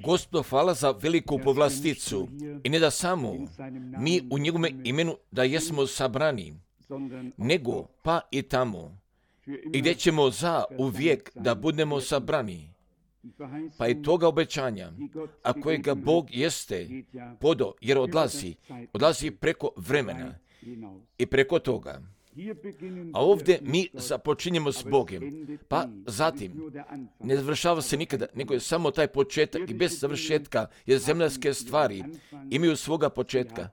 Gospodu hvala za veliku povlasticu i ne da samo mi u njegovome imenu da jesmo sabrani, nego pa i tamo i gdje ćemo za uvijek da budemo sabrani. Pa i toga obećanja, a kojega Bog jeste podo, jer odlazi preko vremena i preko toga. A ovdje mi započinjemo s Bogom, pa zatim ne završava se nikada, nego je samo taj početak i bez završetka, jer zemaljske stvari imaju svoga početka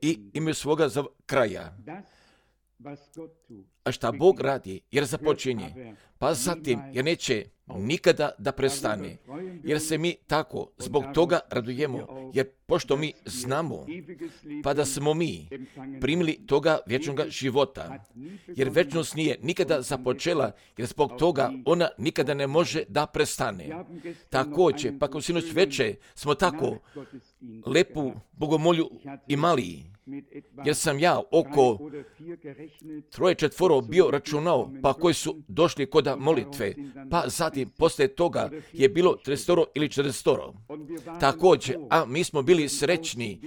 i imaju svoga kraja. A šta Bog radi, jer započinje, pa zatim, jer neće nikada da prestane, jer se mi tako zbog toga radujemo, jer pošto mi znamo, pa da smo mi primili toga vječnog života, jer vječnost nije nikada započela, jer zbog toga ona nikada ne može da prestane. Također, pa kao sinoć veče smo tako lepu bogomolju imali, jer sam ja oko 3-4 bio računao, pa koji su došli kod molitve, pa zatim poslije toga je bilo 30 ili 40. Također, a mi smo bili srećni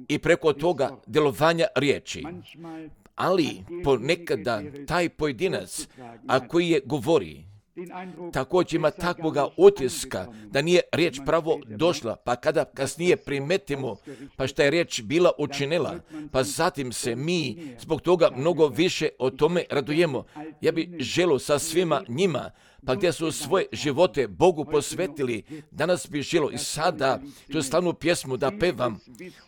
i preko toga djelovanja riječi. Ali ponekada taj pojedinac, a koji je govori, također ima takvoga utiska da nije riječ pravo došla, pa kada kasnije primetimo pa šta je riječ bila učinila, pa zatim se mi zbog toga mnogo više o tome radujemo. Ja bih želio sa svima njima, pa gdje su svoje živote Bogu posvetili, danas bih želio i sada tu slavnu pjesmu da pevam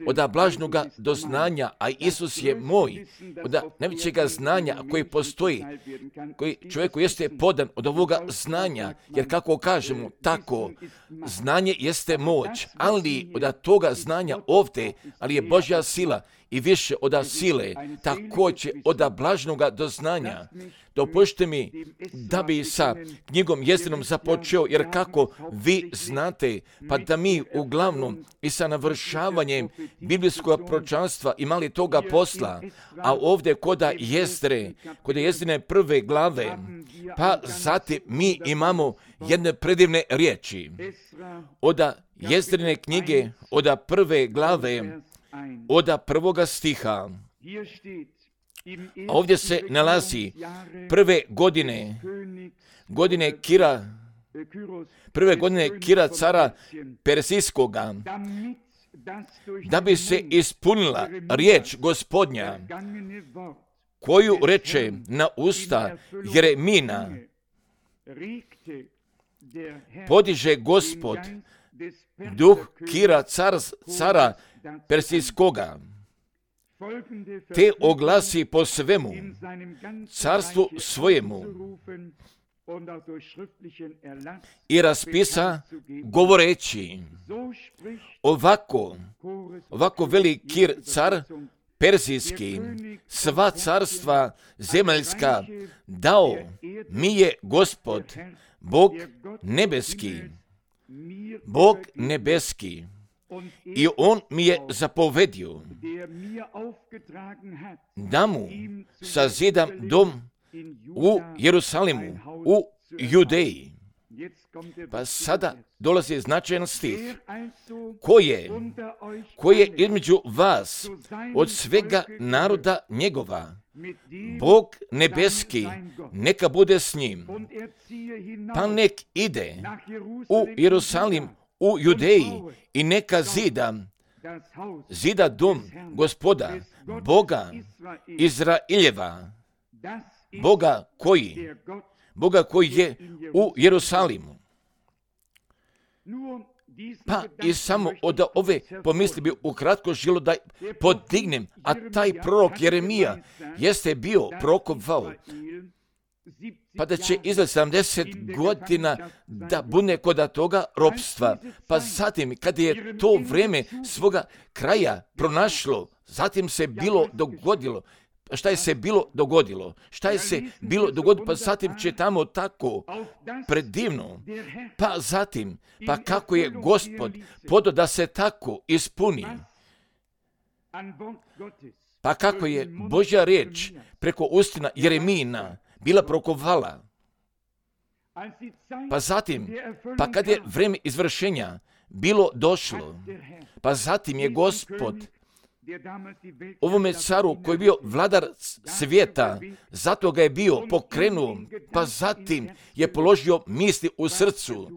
od blažnoga doznanja, a Isus je moj, od najvećega znanja koji postoji, koji čovjeku jeste podan od ovoga znanja, jer kako kažemo tako, znanje jeste moć, ali od toga znanja ovdje, ali je Božja sila i više od sile, također od blažnoga doznanja. Dopušte mi da bi sa knjigom Jezdinom započeo, jer kako vi znate, pa da mi uglavnom i sa navršavanjem biblijskog proročanstva imali toga posla, a ovdje kod Jezdine 1. glave, pa zatim mi imamo jedne predivne riječi. Od Jezdine knjige, od 1. glave, od 1. stiha. Ovdje se nalazi prve godine Kira cara Persijskoga, da bi se ispunila riječ Gospodnja, koju reče na usta Jeremina, podiže Gospod duh Kira cara Persijskoga, te oglasi po svemu carstvu svojemu i raspisa govoreći, ovako veli Kir car Persijski, sva carstva zemaljska dao mi je Gospod, Bog nebeski. I on mi je zapovedio da mu sazidam dom u Jerusalimu, u Judeji. Pa sada dolazi značajan stih. Ko je između vas od svega naroda njegova, Bog nebeski, neka bude s njim. Pa nek ide u Jerusalim, u Judeji i neka zida dom Gospoda, Boga Izraeljeva, Boga koji je u Jerusalimu. Pa i samo od ove pomisli bi ukratko želo da podignem, a taj prorok Jeremija jeste bio prorokovao, pa da će izgled 70 godina da bude kod toga ropstva. Pa zatim, kada je to vrijeme svoga kraja pronašlo, zatim se bilo dogodilo. Šta je se bilo dogodilo? Pa zatim čitamo tako predivno. Pa zatim, pa kako je Gospod podao da se tako ispuni. Pa kako je Božja riječ preko ustina Jeremina bila prokovala. Pa zatim, pa kad je vrijeme izvršenja bilo došlo, pa zatim je Gospod ovome caru koji je bio vladar svijeta, zato ga je bio pokrenuo, pa zatim je položio misli u srcu,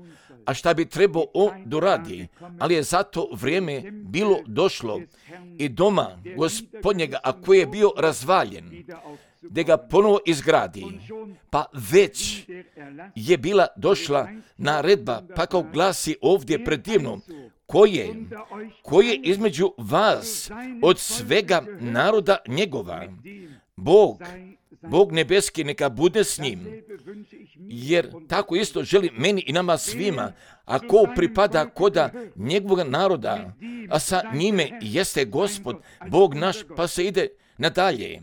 a šta bi trebao on doradi, ali je zato vrijeme bilo došlo i doma Gospodnjega, a koji je bio razvaljen, da ga ponovo izgradi, pa već je bila došla naredba, pa kao glasi ovdje predivno, koje između vas od svega naroda njegova, Bog nebeski neka bude s njim, jer tako isto želi meni i nama svima, a ko pripada koda njegovog naroda, a sa njime jeste Gospod, Bog naš, pa se ide nadalje,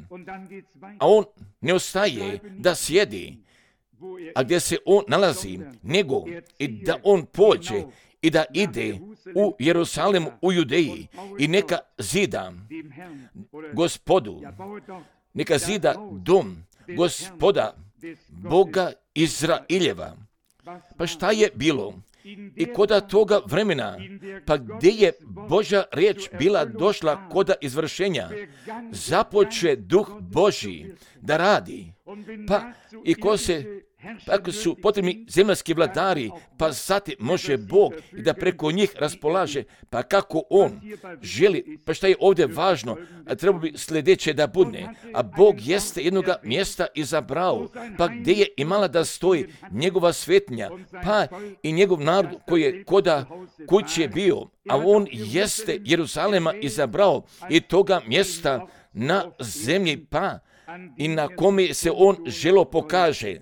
a on ne ostaje da sjedi, a gdje se on nalazi, nego i da on pođe i da ide u Jerusalemu, u Judeji i neka zida Gospodu, neka zida dom Gospoda, Boga Izraeljeva. Pa šta je bilo? I koda toga vremena, pa gdje je Božja riječ bila došla koda izvršenja, započe Duh Božji da radi. Pa i ako su potrebni zemaljski vladari, pa zatim može Bog i da preko njih raspolaže, pa kako on želi, pa šta je ovdje važno, a treba bi sljedeće da bude, a Bog jeste jednoga mjesta izabrao, pa gdje je imala da stoji njegova svetnja, pa i njegov narod koji je koda kuće bio, a on jeste Jeruzalema izabrao i toga mjesta na zemlji, pa i na kome se on želo pokaže.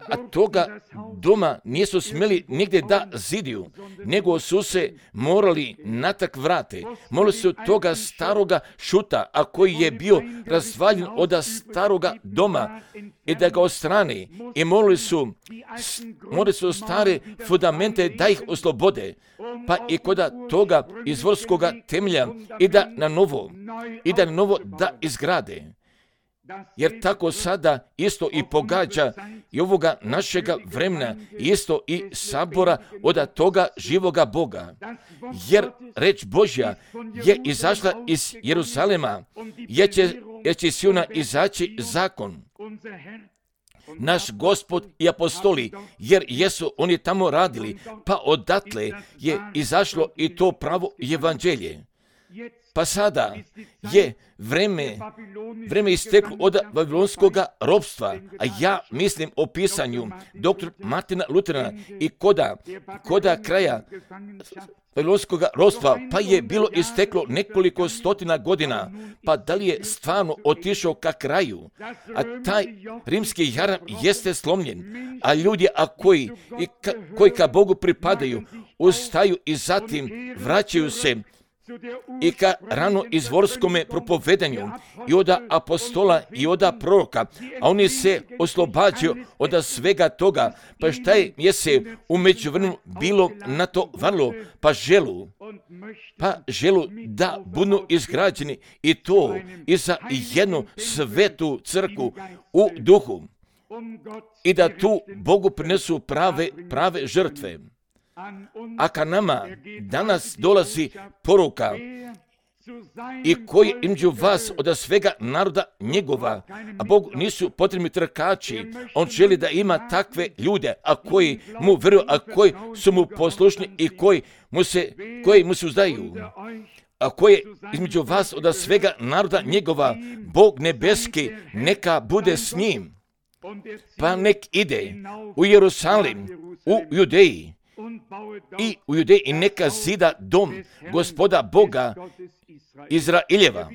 A toga doma nisu smjeli nigdje da zidiju, nego su se morali natak vrate. Morali su toga staroga šuta, a koji je bio razvaljen od staroga doma, i da ga odstrane. I morali su stare fundamente da ih oslobode, pa i koda toga izvorskoga temelja i da na novo da izgrade. Jer tako sada isto i pogađa i ovoga našega vremena, isto i sabora od toga živoga Boga. Jer reč Božja je izašla iz Jeruzalema, jer će iz Siona izaći zakon. Naš Gospod i apostoli, jer jesu oni tamo radili, pa odatle je izašlo i to pravo evanđelje. Pa sada je vreme isteklo od babilonskoga ropstva, a ja mislim o pisanju dr. Martina Luterana i koda kraja babilonskoga ropstva, pa je bilo isteklo nekoliko stotina godina, pa da li je stvarno otišao ka kraju, a taj rimski jaram jeste slomljen, a ljudi koji ka Bogu pripadaju, ustaju i zatim vraćaju se i ka rano izvorskome propovedanju i od apostola i od proroka, a oni se oslobađaju od svega toga, pa šta je se u međuvremenu bilo na to varlo, pa želu da budu izgrađeni i to i za jednu svetu crkvu u duhu i da tu Bogu prinesu prave žrtve. A ka nama danas dolazi poruka i koji između vas od svega naroda njegova, a Bog nisu potrebni trkači, on želi da ima takve ljude, a koji mu vjeruju, a koji su mu poslušni i koji mu se uzdaju, a koji između vas od svega naroda njegova, Bog nebeski neka bude s njim, pa nek ide u Jerusalim, u Judeji, i neka zida dom Gospoda Boga Izraeljeva.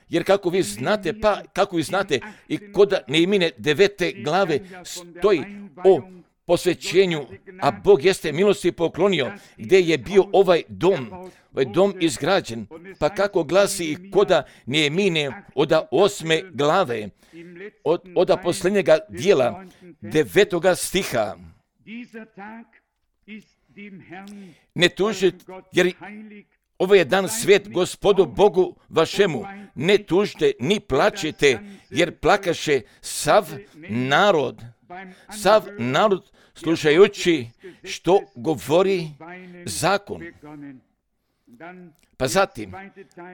Jer kako vi znate, i kod Nehemije 9. glave stoji o posvećenju, a Bog jeste milosti poklonio, gdje je bio ovaj dom izgrađen. Pa kako glasi i kod Nehemije od 8. glave, od posljednjega dijela 9. stiha. Ne tužite, jer ovo je dan svet Gospodu Bogu vašemu. Ne tužite, ni plačite, jer plakaše sav narod sav narod slušajući što govori zakon. Pa zatim,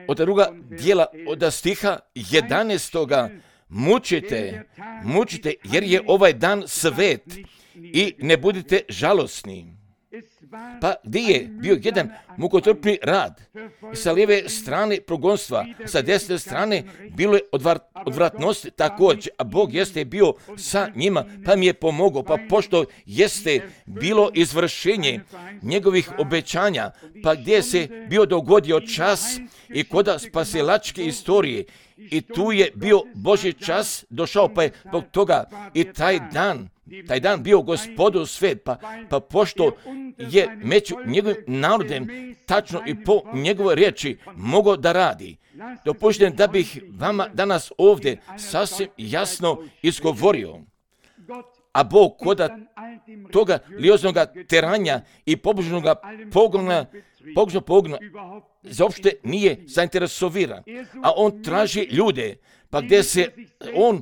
od druga dijela, od stiha 11. mučite, jer je ovaj dan svet i ne budite žalosni. Pa gdje je bio jedan mukotrpni rad? Sa lijeve strane progonstva, sa desne strane bilo je odvratnosti također, a Bog jeste bio sa njima, pa mi je pomogao, pa pošto jeste bilo izvršenje njegovih obećanja, pa gdje se bio dogodio čas i koda spasilačke istorije, i tu je bio Božji čas došao, pa je zbog toga i taj dan bio Gospodu svet, pa pošto je među njegovim narodem tačno i po njegovoj riječi mogao da radi. Dopušten da bih vama danas ovdje sasvim jasno izgovorio, a Bog koda toga lioznog teranja i pobožnog pogona zaopšte nije zainteresoviran, a on traži ljude, pa gdje se on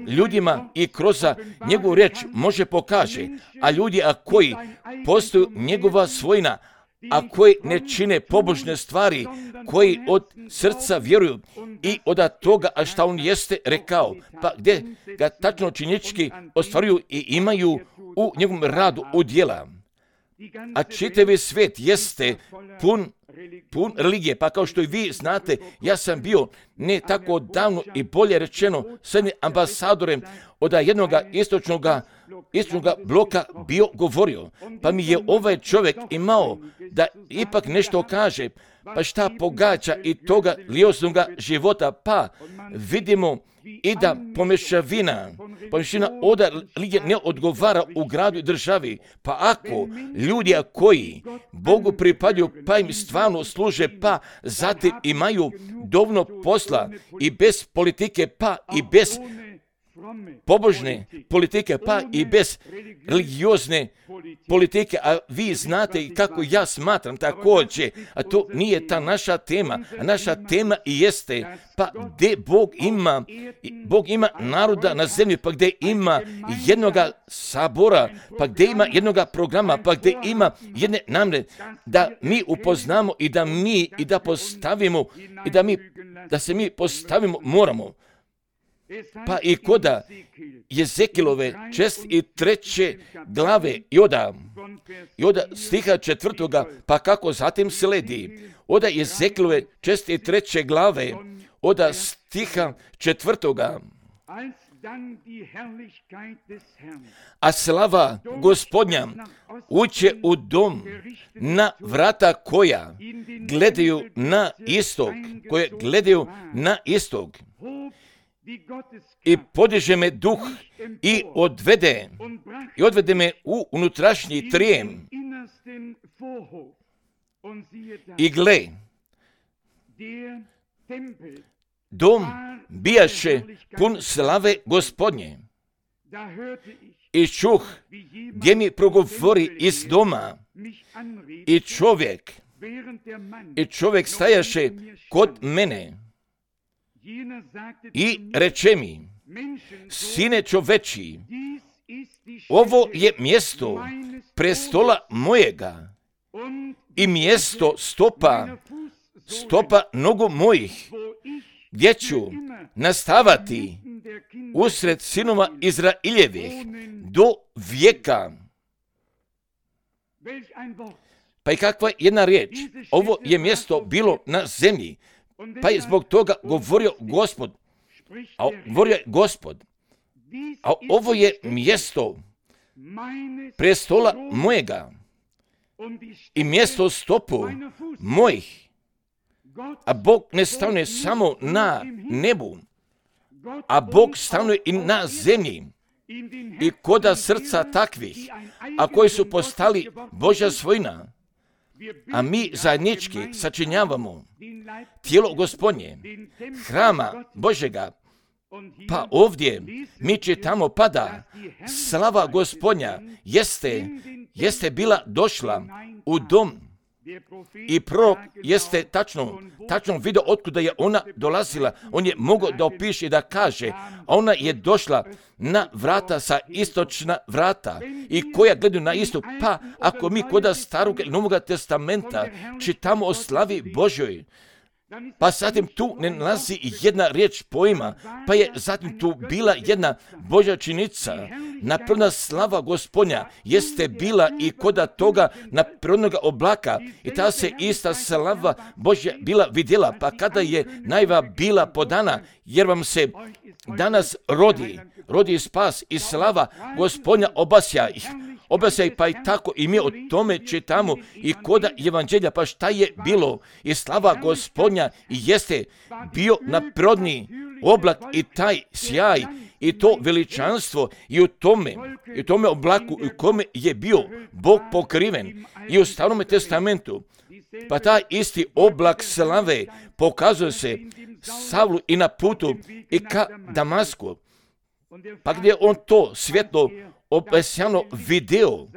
ljudima i kroz njegovu riječ može pokaže, a ljudi koji postaju njegova svojina, a koji ne čine pobožne stvari, koji od srca vjeruju i od toga a šta on jeste rekao, pa gdje ga tačno činjenički ostvaruju i imaju u njegovom radu udjela. A čitavi svijet jeste pun religije, pa kao što i vi znate, ja sam bio ne tako davno i bolje rečeno s jednim ambasadorem od jednog istočnog bloka bio govorio, pa mi je ovaj čovjek imao da ipak nešto kaže, pa šta pogađa i toga lioznog života, pa vidimo i da pomešavina od religije ne odgovara u gradu i državi, pa ako ljudi koji Bogu pripadaju, pa im stvarno služe, pa zatim imaju dovoljno posla i bez politike, pa i bez pobožne politike, pa i bez religiozne politike, a vi znate kako ja smatram također, a to nije ta naša tema, a naša tema i jeste, pa gdje Bog ima naroda na zemlji, pa gdje ima jednoga sabora, pa gdje ima jednoga programa, pa gdje ima jedne namjere, da mi upoznamo i da postavimo i da se mi postavimo moramo. Pa i koda Jezekilove 63. glave i od stiha 4. pa kako zatim sledi, od Jezekilove 63. glave, od stiha 4. A slava Gospodnja uđe u dom na vrata koja gledaju na istok, i podiže me duh i odvede me u unutrašnji trijem. I gle, dom bijaše pun slave Gospodnje. I čuh gdje mi progovori iz doma, i čovjek stajaše kod mene i reče mi, sine čoveči, ovo je mjesto prestola mojega i mjesto stopa nogu mojih, gdje ću nastavati usred sinova Izraeljevih do vijeka. Pa i kakva je jedna riječ, ovo je mjesto bilo na zemlji, pa je zbog toga govorio Gospod, a ovo je mjesto prestola mojega i mjesto stopu mojih, a Bog ne stanuje samo na nebu, a Bog stanuje i na zemlji i koda srca takvih, a koji su postali Božja svojina, a mi zajednički sačinjavamo tijelo Gospodnje, hrama Božjega, pa ovdje mi čitamo pada, slava Gospodnja jeste bila došla u dom I prorok jeste tačno vidio otkuda je ona dolazila. On je mogao da opiše i da kaže, a ona je došla na vrata sa istočna vrata i koja gledaju na istok. Pa ako mi kod Starog i Novog testamenta čitamo o slavi Božjoj, pa zatim tu ne nalazi jedna riječ pojma, pa je zatim tu bila jedna Božja činica. Napredna slava Gospodnja jeste bila i koda toga naprednoga oblaka i ta se ista slava Božja bila vidjela, pa kada je najava bila podana, jer vam se danas rodi spas i slava Gospodnja obasja ih, pa i tako i mi o tome čitamo i koda evanđelja, pa šta je bilo i slava Gospodnja jeste bio napredni oblak i taj sjaj i to veličanstvo i u tome oblaku u kome je bio Bog pokriven i u Starom testamentu. Pa taj isti oblak slave pokazuje se Savlu i na putu i ka Damasku. Pa gdje on to svjetlo obesjano video,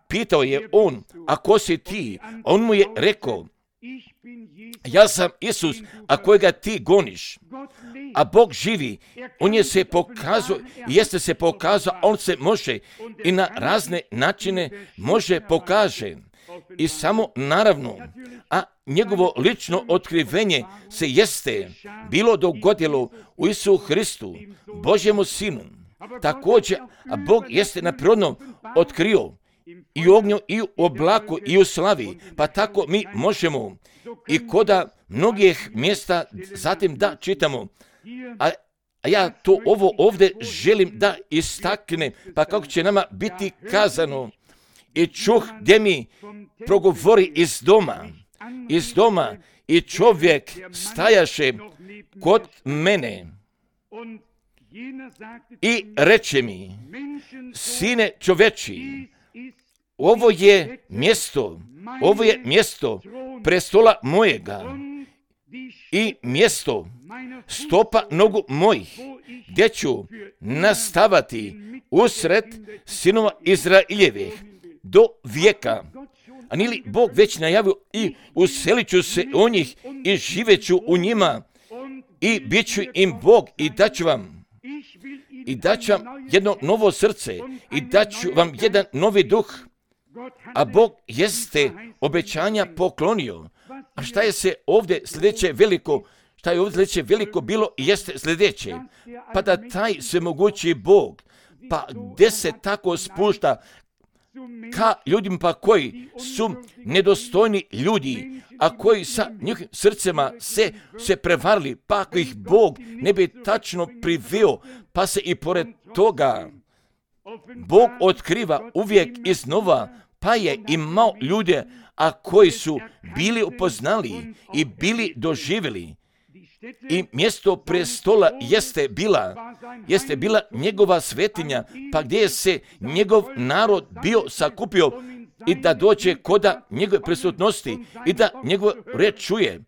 pitao je on, a ko si ti? On mu je rekao, ja sam Isus, a kojega ti goniš. A Bog živi, on je se pokazao, jeste se pokazao, on se može i na razne načine može pokaže. I samo naravno, a njegovo lično otkrivenje se jeste bilo dogodilo u Isu Hristu, Božjemu Sinu. Također, a Bog jeste napredno otkrio i u ognju, i u oblaku, i u slavi. Pa tako mi možemo i koda mnogih mjesta zatim da čitamo. A ja to ovo ovdje želim da istaknem, pa kako će nama biti kazano. I čuh gdje mi progovori iz doma i čovjek stajaše kod mene i reče mi, sine čoveči, ovo je mjesto prestola mojega i mjesto stopa nogu mojih, gdje ću nastavati usred sinova Izraeljevih do vijeka. A nije li Bog već najavio i uselit ću se u njih i živjet ću u njima i bit ću im Bog i daću vam jedno novo srce i daću vam jedan novi duh. A Bog jeste obećanja poklonio. A šta je ovdje sljedeće veliko bilo jeste sljedeće. Pa da taj svemogući Bog, pa gdje se tako spušta ka ljudima pa koji su nedostojni ljudi, a koji sa njihovim srcima se prevarili, pa ako ih Bog ne bi tačno priveo, pa se i pored toga Bog otkriva uvijek iznova, pa je imao ljude, a koji su bili upoznali i bili doživjeli. I mjesto prestola jeste bila njegova svetinja, pa gdje je se njegov narod bio sakupio i da dođe koda njegove prisutnosti i da njegov reč čuje.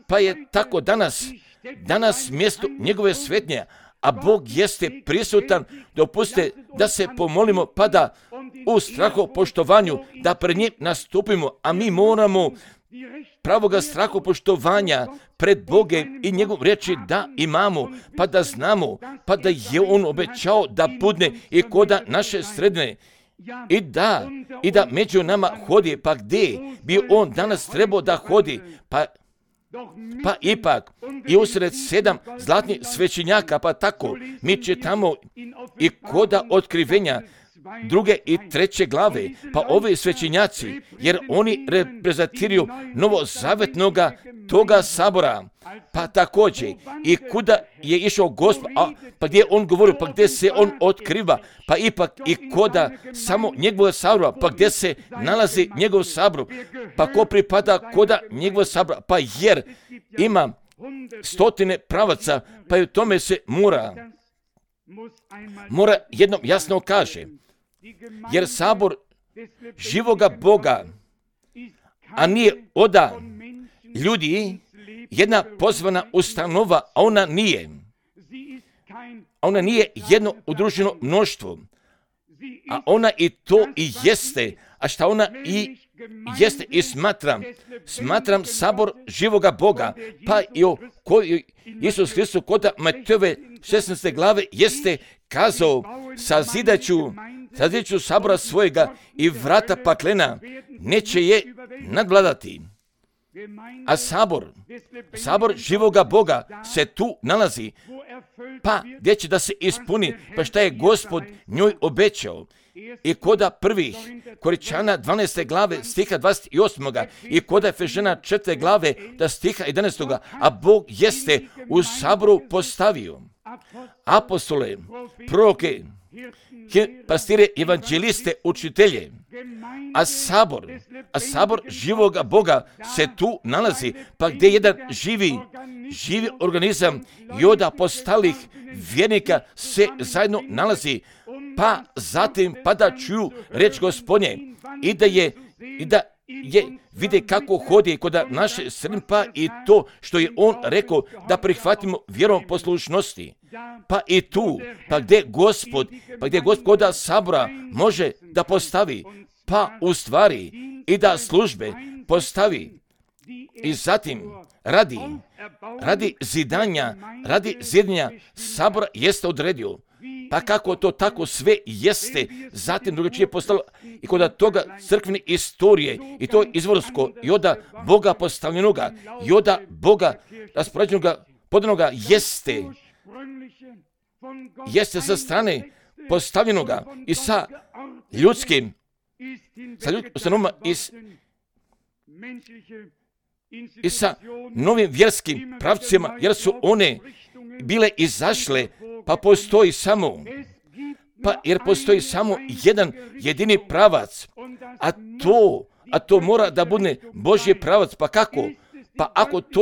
Pa je tako danas mjesto njegove svetinje, a Bog jeste prisutan, dopustite da se pomolimo, pa da u strahopoštovanju da pred njim nastupimo, a mi moramo pravoga strahopoštovanja pred Bogom i njegov reči da imamo, pa da znamo, pa da je on obećao da budne i koda naše sredine i da među nama hodi, pa gdje bi on danas trebao da hodi, pa ipak i usred 7 zlatnih svećenjaka, pa tako mi čitamo i koda otkrivenja 2. i 3. glave, pa ovi svećenjaci, jer oni reprezentiraju novozavetnoga toga sabora, pa također i kuda je išao Gospod, pa gdje on govori, pa gdje se on otkriva, pa ipak i koda samo njegova sabora, pa gdje se nalazi njegov sabor, pa ko pripada koda njegova sabora, pa jer ima 100 pravaca, pa i u tome se mora jednom jasno kaže, jer sabor živoga Boga, a nije oda ljudi, jedna pozvana ustanova, a ona nije jedno udruženo mnoštvo, a ona i to i jeste, a šta ona i jeste i smatram sabor živoga Boga, pa i o kojoj Isus Hristos kod Matejove 16. glave jeste kazao, sazidaću sabora svojega i vrata paklena neće je nadvladati. A sabor živoga Boga se tu nalazi, pa gdje će da se ispuni, pa šta je Gospod njoj obećao. I koda prvih Koričana 12. glave stiha 28. i koda Efežana 4. glave da stiha 11. A Bog jeste u saboru postavio apostole, proroke, pastire, evanđeliste, učitelje, a sabor živoga Boga se tu nalazi, pa gdje jedan živi organizam i od apostolih vjernika se zajedno nalazi, pa zatim da čuju reč Gospodnje i da je vide kako hodi kod naše srne, pa i to što je on rekao da prihvatimo vjerom poslušnosti. Pa i tu, pa gdje Gospod kod sabora može da postavi, pa u stvari i da službe postavi. I zatim radi zidanja sabora jeste odredio. Pa kako to tako sve jeste zatim drugačije postalo i kod toga crkvene istorije i to izvorsko i od Boga postavljenoga i od Boga raspoređenoga podanoga jeste sa strane postavljenoga i sa ljudskim ustanovama i sa novim vjerskim pravcima, jer su one bile izašle, jer postoji samo jedan jedini pravac, a to mora da bude Božji pravac. Pa kako? Pa ako to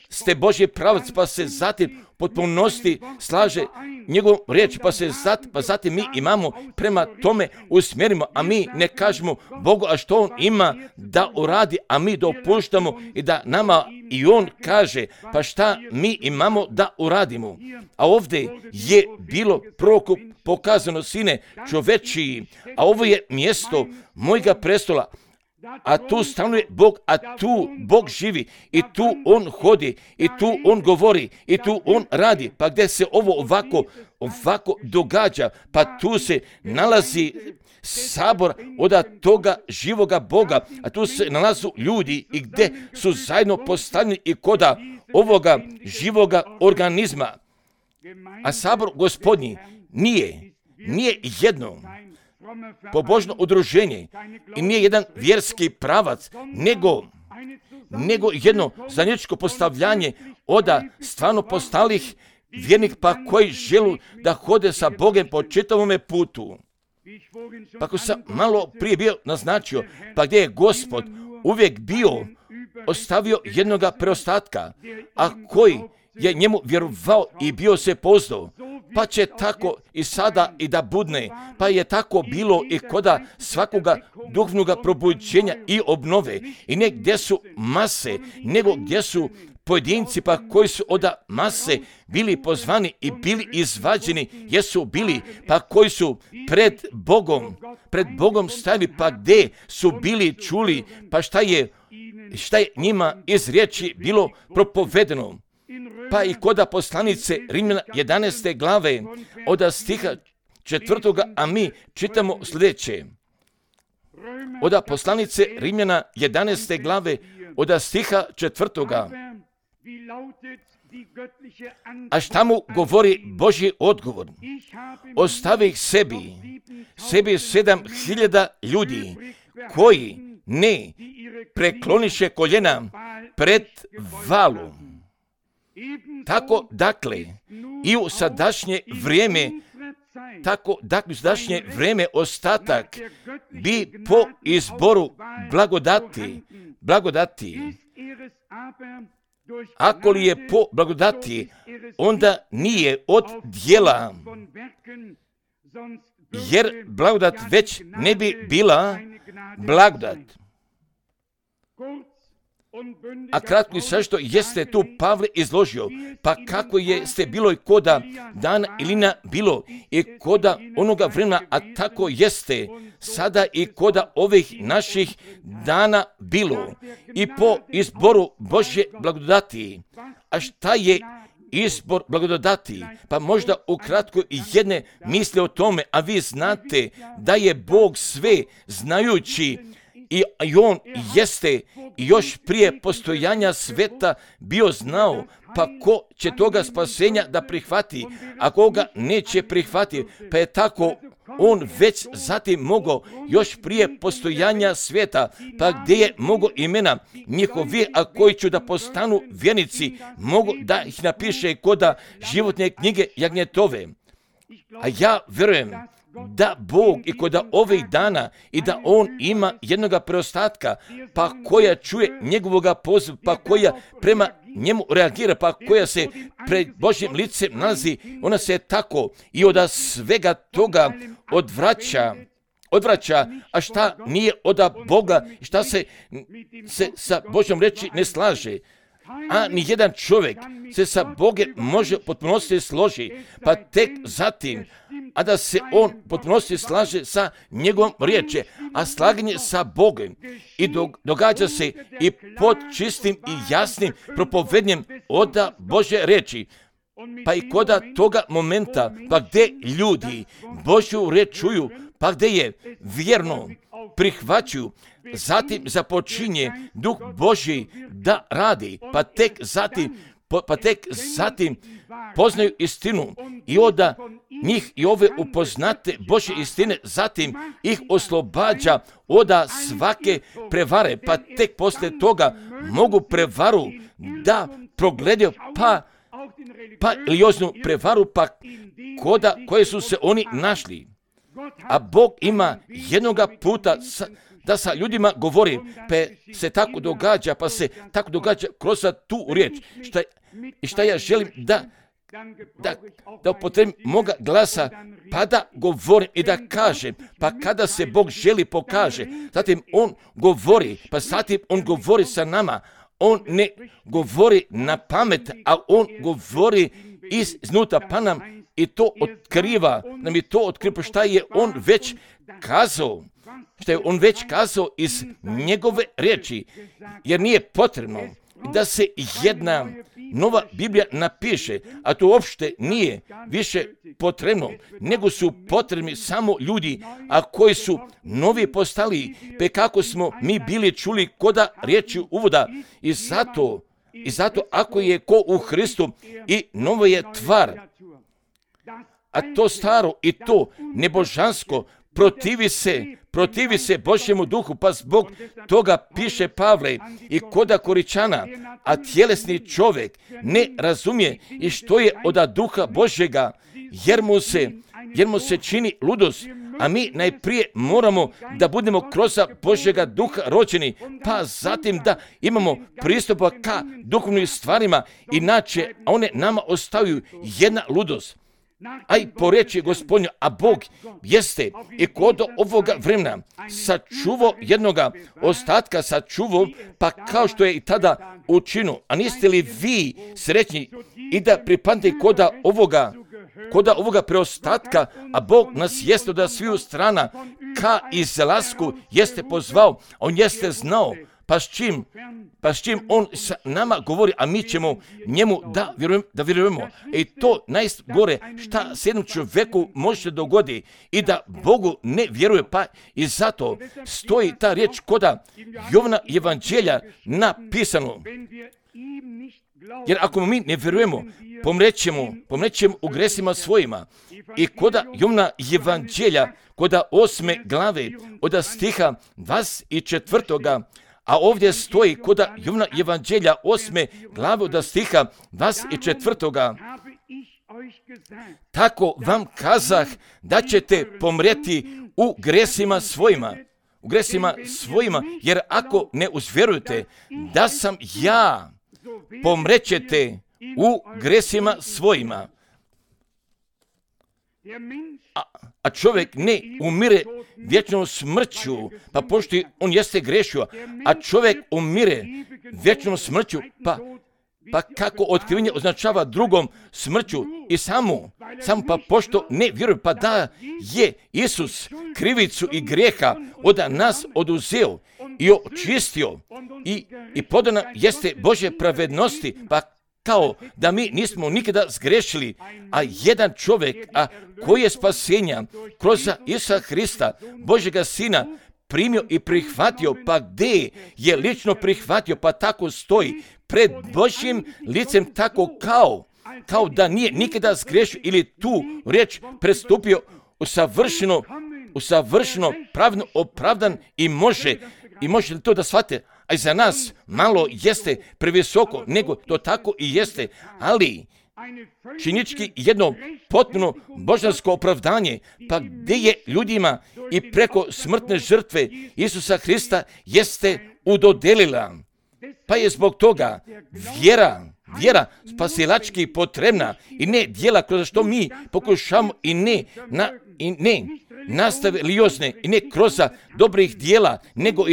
ste Božji pravac, pa se zatim potpunosti slaže njegov riječ, pa zatim mi imamo prema tome usmjerimo, a mi ne kažemo Bogu, a što on ima da uradi, a mi dopuštamo i da nama i on kaže, pa šta mi imamo da uradimo. A ovdje je bilo proroku pokazano, sine čovečiji, a ovo je mjesto mojega prestola, a tu stanuje Bog, a tu Bog živi i tu on hodi i tu on govori i tu on radi. Pa gdje se ovo ovako događa, pa tu se nalazi sabor od toga živoga Boga, a tu se nalazu ljudi i gdje su zajedno postavljeni i koda ovoga živoga organizma. A sabor Gospodnji nije jedno pobožno udruženje i nije jedan vjerski pravac, nego jedno zajedničko postavljanje od stvarno postalih vjernik, pa koji želu da hode sa Bogom po čitavome putu. Pa ako sam malo prije bio naznačio, pa gdje je Gospod uvijek bio ostavio jednoga preostatka, a koji je njemu vjerovao i bio se poznao, pa će tako i sada i da budne, pa je tako bilo i koda svakoga duhovnoga probuđenja i obnove. I ne gdje su mase, nego gdje su pojedinci, pa koji su od mase bili pozvani i bili izvađeni, jesu bili, pa koji su pred Bogom stajali, pa gdje su bili čuli, pa šta je njima iz riječi bilo propovedeno. Pa i koda poslanice Rimljana 11. glave od stiha 4. a mi čitamo sljedeće. Od poslanice Rimljana 11. glave od stiha 4. A šta mu govori Božji odgovor? Ostavih sebi 7.000 ljudi koji ne prekloniše koljena pred Valom. Tako dakle i u sadašnje vrijeme ostatak bi po izboru blagodati. Ako li je po blagodati, onda nije od djela, jer blagodat već ne bi bila blagodat. A kratko i sažeto jeste tu Pavle izložio, pa kako ste bilo i koda dana Ilina bilo i koda onoga vremena, a tako jeste sada i koda ovih naših dana bilo i po izboru Božje blagodati. A šta je izbor blagodati? Pa možda ukratko jedne misle o tome, a vi znate da je Bog sve znajući i on jeste još prije postojanja sveta bio znao, pa ko će toga spasenja da prihvati, a koga neće prihvati, pa je tako on već zatim mogao još prije postojanja sveta, pa gdje je mogo imena njihovi, a koji će da postanu vjernici, mogu da ih napiše koda životne knjige jagnjetove. A ja vjerujem da Bog i koda ovih dana i da on ima jednoga preostatka, pa koja čuje njegovoga poziva, pa koja prema njemu reagira, pa koja se pred Božjim licem nalazi, ona se tako i od svega toga odvraća, a šta nije od Boga, šta se sa Božjom reči ne slaže. A nijedan čovjek se sa Bogom može potpunosti složi, pa tek zatim, a da se on potpunosti slaže sa njegovom riječi, a slaganje sa Bogom i događa se i pod čistim i jasnim propovednjem od Božje riječi. Pa i koda toga momenta, pa gdje ljudi Božju riječ čuju, pa gdje je vjerno prihvaćuju, zatim započinje Duh Božji da radi, pa tek zatim poznaju istinu i onda njih i ove upoznate Božje istine, zatim ih oslobađa od svake prevare, pa tek poslije toga mogu prevaru da progledaju, pa religioznu prevaru, pa koje su se oni našli. A Bog ima jednoga puta da sa ljudima govori, pa se tako događa, kroz tu riječ. Šta ja želim da upotrebim moga glasa, pa da govorim i da kažem, pa kada se Bog želi pokaže, zatim on govori, pa zatim on govori sa nama. On ne govori na pamet, a on govori iznutra, pa nam i to otkriva, šta je on već kazao, iz njegove riječi, jer nije potrebno da se jedna nova Biblija napiše, a to uopšte nije više potrebno, nego su potrebni samo ljudi, a koji su novi postali, pe kako smo mi bili čuli koda riječi uvoda. I zato ako je ko u Hristu i novo je tvar, a to staro i to nebožansko protivi se Božjemu duhu, pa zbog toga piše Pavle i koda Koričana, a tjelesni čovjek ne razumije i što je od duha Božjega, jer mu se čini ludost, a mi najprije moramo da budemo kroz Božjega duha rođeni, pa zatim da imamo pristupa ka duhovnim stvarima, inače one nama ostaju jedna ludost. A i po reći Gospodnju, a Bog jeste i kod ovoga vremena sačuvao jednoga ostatka, pa kao što je i tada učinio. A niste li vi srećni i da pripadate koda ovoga preostatka, a Bog nas jeste od sviju strana ka izlasku jeste pozvao, on jeste znao, pa s čim on sa nama govori, a mi ćemo njemu da vjerujemo. I to najgore šta se jednom čovjeku može dogodi i da Bogu ne vjeruje, pa i zato stoji ta riječ koda Jovana evanđelja napisano. Jer ako mi ne vjerujemo, pomrećemo u gresima svojima. I koda Jovana evanđelja, koda 8. glave, od stiha 24. A ovdje stoji koda Jovana evanđelja 8. glave od stiha 24. Tako vam kazah da ćete pomreti u gresima svojima, jer ako ne uzvjerujete da sam ja, pomrećete u gresima svojima. A čovjek ne umire vječnom smrću, pa pošto on jeste grešio, a čovjek umire vječnom smrću, pa kako otkrivenje označava drugom smrću i samo pa pošto ne vjeruju, pa da je Isus krivicu i grijeha od nas oduzeo i očistio i podana jeste Božje pravednosti, pa kao da mi nismo nikada zgrešili, a jedan čovjek, koji je spasenja kroz Isusa Hrista, Božjega Sina, primio i prihvatio, pa gdje je lično prihvatio, pa tako stoji pred Božjim licem, tako kao da nije nikada zgrešio ili tu riječ prestupio u savršeno pravno opravdan i može li to da shvate? A za nas malo jeste previsoko, nego to tako i jeste, ali činički jedno potpuno božansko opravdanje, pa gdje je ljudima i preko smrtne žrtve Isusa Hrista jeste udodelila. Pa je zbog toga vjera spasilački potrebna i ne djela kroz što mi pokušamo i ne nastave liozne i ne kroz dobrih djela, nego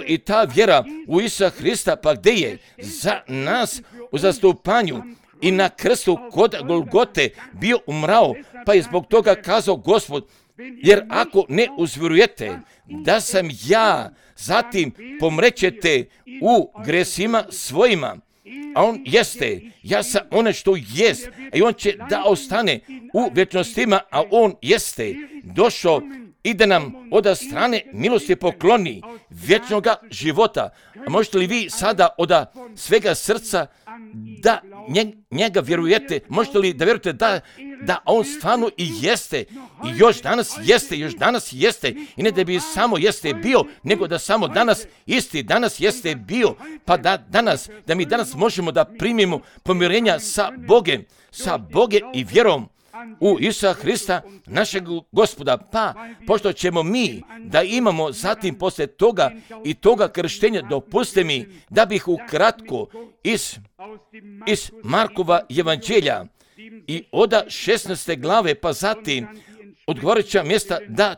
i ta vjera u Isusa Hrista, pa gdje je za nas u zastupanju i na krstu kod Golgote bio umrao, pa je zbog toga kazao Gospod, jer ako ne uzvjerujete da sam ja, zatim pomrećete u gresima svojima, a on jeste, ja sam one što jest, a i on će da ostane u vječnostima, a on jeste došao i da nam od strane milosti pokloni vječnoga života. A možete li vi sada od svega srca da njega vjerujete? Možete li da vjerujete da on stvarno i jeste, i još danas jeste, i ne da bi samo jeste bio, nego da samo danas jeste bio, pa da mi danas možemo da primimo pomirenja sa Bogem i vjerom u Isusa Hrista, našeg Gospoda. Pa, pošto ćemo mi da imamo zatim poslije toga i toga krštenja, dopustite mi da bih ukratko iz Markova evanđelja i od 16. glave, pa zatim odgovarajuća mjesta da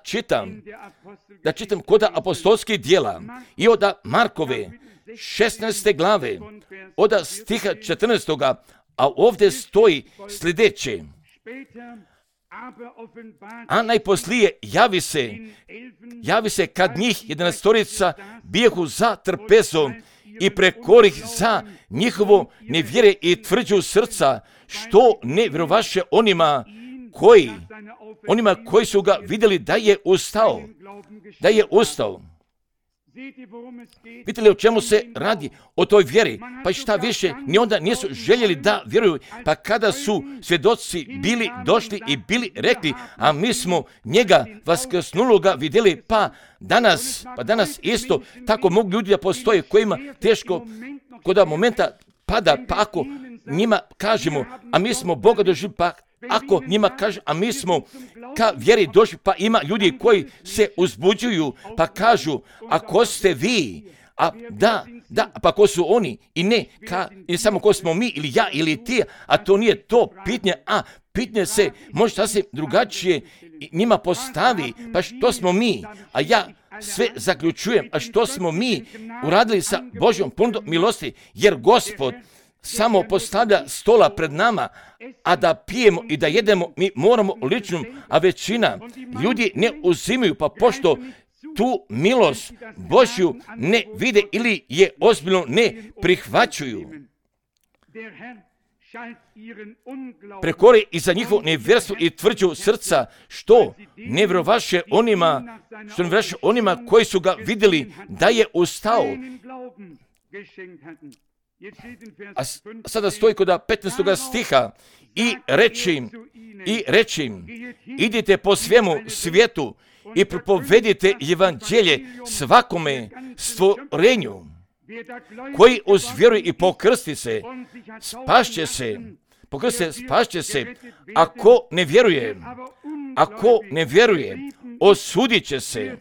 čitam kod apostolskih djela i od Markove 16. glave, od stiha 14. A ovdje stoji sljedeće: a najposlije javi se kad njih 11 bijehu za trpezom i prekorih za njihovo nevjere i tvrđu srca, što ne vjerovaše onima koji su ga vidjeli da je ustao. Vidite li o čemu se radi? O toj vjeri. Pa šta više, ni onda nisu željeli da vjeruju, pa kada su svjedoci bili došli i bili rekli, a mi smo njega vaskrsnuloga vidjeli, pa danas isto tako mogu ljudi da postoje kojima teško kod momenta pada, pa ako njima kažemo, a mi smo Boga doživjeli, pa ako njima kaže, a mi smo ka vjeri došli, pa ima ljudi koji se uzbuđuju, pa kažu, ako ste vi, pa ko su oni, i ne samo ko smo mi, ili ja, ili ti, a to nije to pitanje, pitanje se može sasvim drugačije njima postavi, pa što smo mi, a ja sve zaključujem, a što smo mi uradili sa Božjom ponudom milosti, jer Gospod samo postavlja stola pred nama, a da pijemo i da jedemo mi moramo ličnom, a većina ljudi ne uzimaju, pa pošto tu milost Božju ne vide ili je ozbiljno ne prihvaćuju. Prekori i za njihovo nevjerstvo i tvrđu srca, što ne vjerovaše onima koji su ga vidjeli da je ustao. A sada stoji kod 15. stiha i reći idite po svemu svijetu i propovedite evanđelje svakome stvorenju. Koji uzvjeruje i pokrsti se, spašće se. Ako ne vjeruje, osudit će se.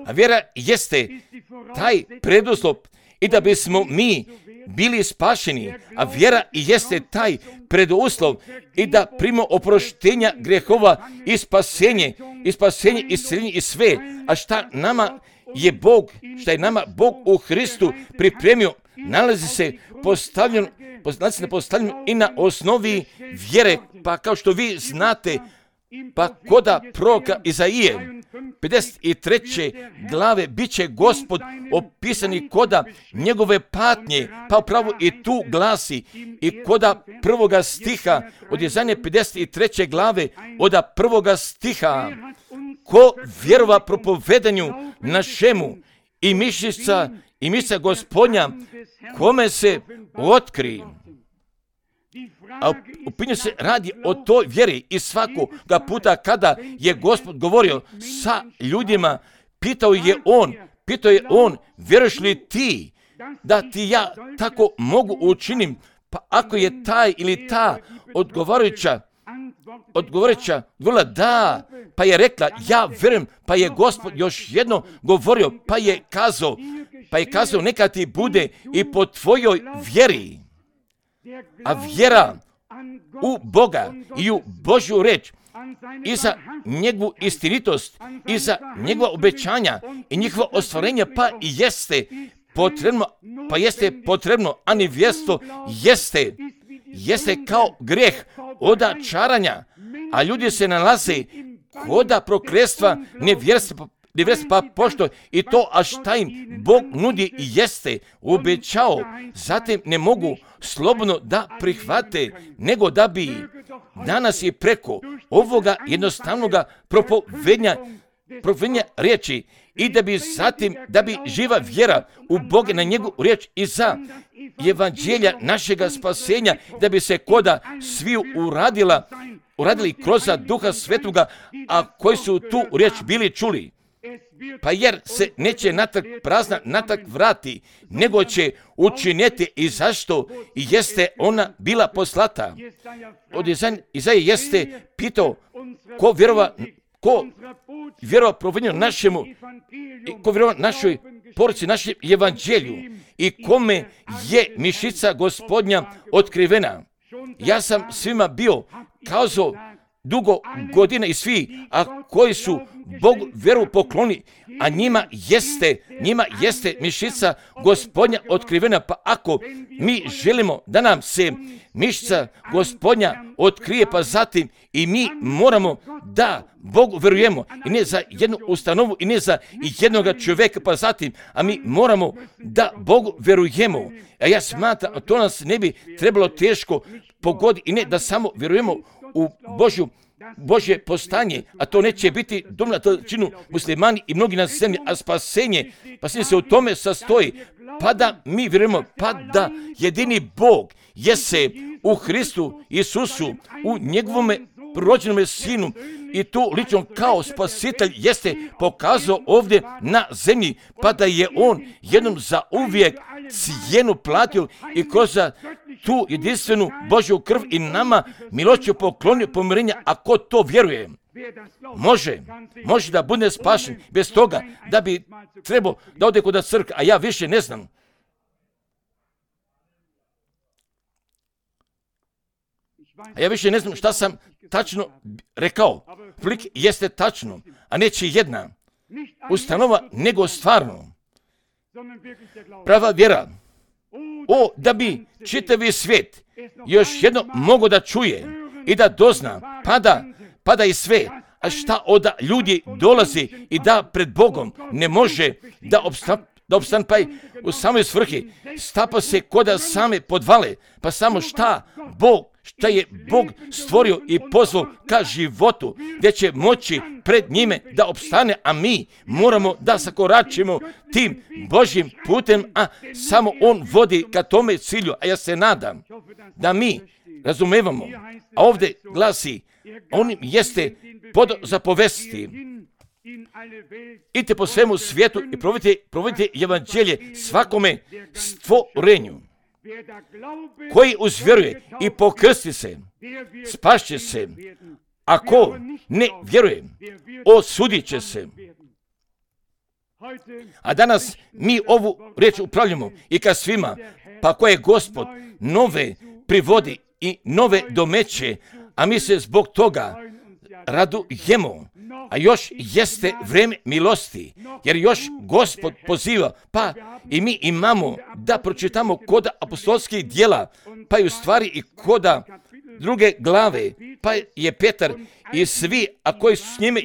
A vjera jeste taj preduslov i da bismo mi bili spašeni, a vjera jeste taj preduslov i da primimo oproštenja grehova i spasenje i spasenje, i isceljenje i sve. A šta nama je Bog, šta je nama Bog u Hristu pripremio, nalazi se postavljeno i na osnovi vjere. Pa kao što vi znate, pa koda proroka Izaije 53. glave bit će Gospod opisani koda njegove patnje, pa upravo i tu glasi i koda 1. stiha od Izaije 53. glave od 1. stiha. Ko vjerova propovedanju našemu i mišica Gospodnja, kome se otkri. A upinju se radi o toj vjeri i svakoga puta kada je Gospod govorio sa ljudima, pitao je on, vjeruješ li ti da ti ja tako mogu učinim? Pa ako je taj ili ta odgovarajuća govorila da, pa je rekla ja vjerujem, pa je Gospod još jedno govorio, pa je kazao neka ti bude i po tvojoj vjeri. A vjera u Boga i u Božju reč i za njegovu istinitost i za njegova obećanja i njihova ostvarenja, pa jeste potrebno, a nevjerstvo jeste kao grijeh oda čaranja, a ljudi se nalaze koda prokletstva nevjerstva, pa pošto i to, a šta im Bog nudi jeste obećao, zatim ne mogu slobodno da prihvate, nego da bi danas i preko ovoga jednostavnoga propovednja riječi i da bi živa vjera u Boga na njegovu riječ i za evanđelja našega spasenja, da bi se koda sviju uradili kroz Duha Svetoga, a koji su tu riječ bili čuli. Pa jer se neće natak vrati, nego će učiniti i zašto i jeste ona bila poslata. Od Izaije jeste pitao ko vjerova provednju našemu, ko vjerova našoj poruci, našem evanđelju i kome je mišica Gospodnja otkrivena. Ja sam svima bio kazao dugo godina i svi, a koji su Bogu vjeru pokloni, a njima jeste mišica Gospodnja otkrivena. Pa ako mi želimo da nam se mišica Gospodnja otkrije, pa zatim i mi moramo da Bogu vjerujemo, i ne za jednu ustanovu i ne za jednoga čovjeka, pa zatim, a mi moramo da Bogu vjerujemo. A ja smatram, to nas ne bi trebalo teško pogoditi, i ne da samo vjerujemo u Božje postanje, a to neće biti dovoljno, to činu muslimani i mnogi na zemlji, a spasenje se u tome sastoji, pa da mi vjerujemo, pa da jedini Bog jeste u Hristu Isusu, u njegovome rođenome Sinu, i tu lično kao spasitelj jeste pokazao ovdje na zemlji, pa da je on jednom za uvijek cijenu platio i kroz tu jedinstvenu Božju krv i nama milošću poklonio pomirenja. Ako to vjeruje, može da bude spašen bez toga da bi trebao da ode kod crkve, a ja više ne znam. A ja više ne znam šta sam tačno rekao. Plik jeste tačno, a neće jedna ustanova, nego stvarno prava vjera. Da bi čitavi svijet još jedno mogo da čuje i da dozna, pada i sve, a šta od ljudi dolazi i da pred Bogom ne može da opstane, pa i u samoj svrhi stapa se koda same podvale, pa samo šta je Bog stvorio i pozvao ka životu, gdje će moći pred njime da opstane, a mi moramo da zakoračimo tim Božjim putem, a samo on vodi ka tome cilju. A ja se nadam da mi razumevamo, a ovdje glasi, on jeste pod zapovesti. Idite po svemu svijetu i provodite evanđelje svakome stvorenju. Koji uzvjeruje i pokrsti se, spašće se. Ako ne vjeruje, osudit će se. A danas mi ovu riječ upravljamo i ka svima, pa koje Gospod nove privodi i nove domeće, a mi se zbog toga radujemo. a još jeste vrijeme milosti, jer još Gospod poziva, pa i mi imamo da pročitamo koda apostolskih djela, pa i u stvari i koda 2. glave, pa je Petar i svi, a koji su s njime